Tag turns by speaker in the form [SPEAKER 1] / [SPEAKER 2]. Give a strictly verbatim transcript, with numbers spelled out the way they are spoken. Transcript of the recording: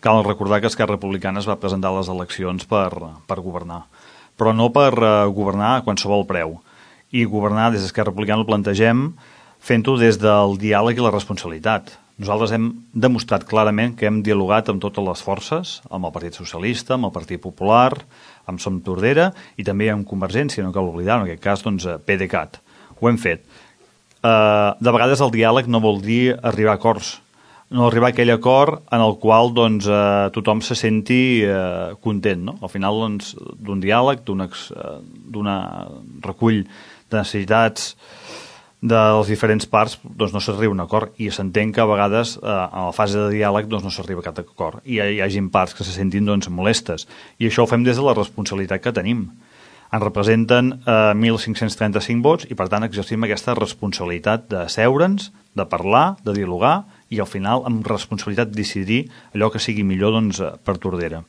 [SPEAKER 1] cal recordar que Esquerra Republicana es va presentar a les eleccions per, per governar, però no per uh, governar a qualsevol preu. I governar des d'Esquerra Republicana el plantegem fent-ho des del diàleg i la responsabilitat. Nosaltres hem demostrat clarament que hem dialogat amb totes les forces, amb el Partit Socialista, amb el Partit Popular, amb Som Tordera i també amb Convergència, no cal oblidar, en aquest cas, doncs, PDeCAT. Ho hem fet. Uh, de vegades el diàleg no vol dir arribar a acords, no arribar a aquell acord en el qual doncs, uh, tothom se senti uh, content. No? Al final doncs, d'un diàleg, d'un uh, recull de necessitats de les diferents parts doncs no s'arriba a un acord i s'entén que a vegades eh, en la fase de diàleg doncs no s'arriba a cap acord i hi, hi hagi parts que se sentin doncs, molestes i això ho fem des de la responsabilitat que tenim. Ens representen eh, mil cinc-cents trenta-cinc vots i per tant exercim aquesta responsabilitat d'asseure'ns, de parlar, de dialogar i al final amb responsabilitat decidir allò que sigui millor doncs, per Tordera.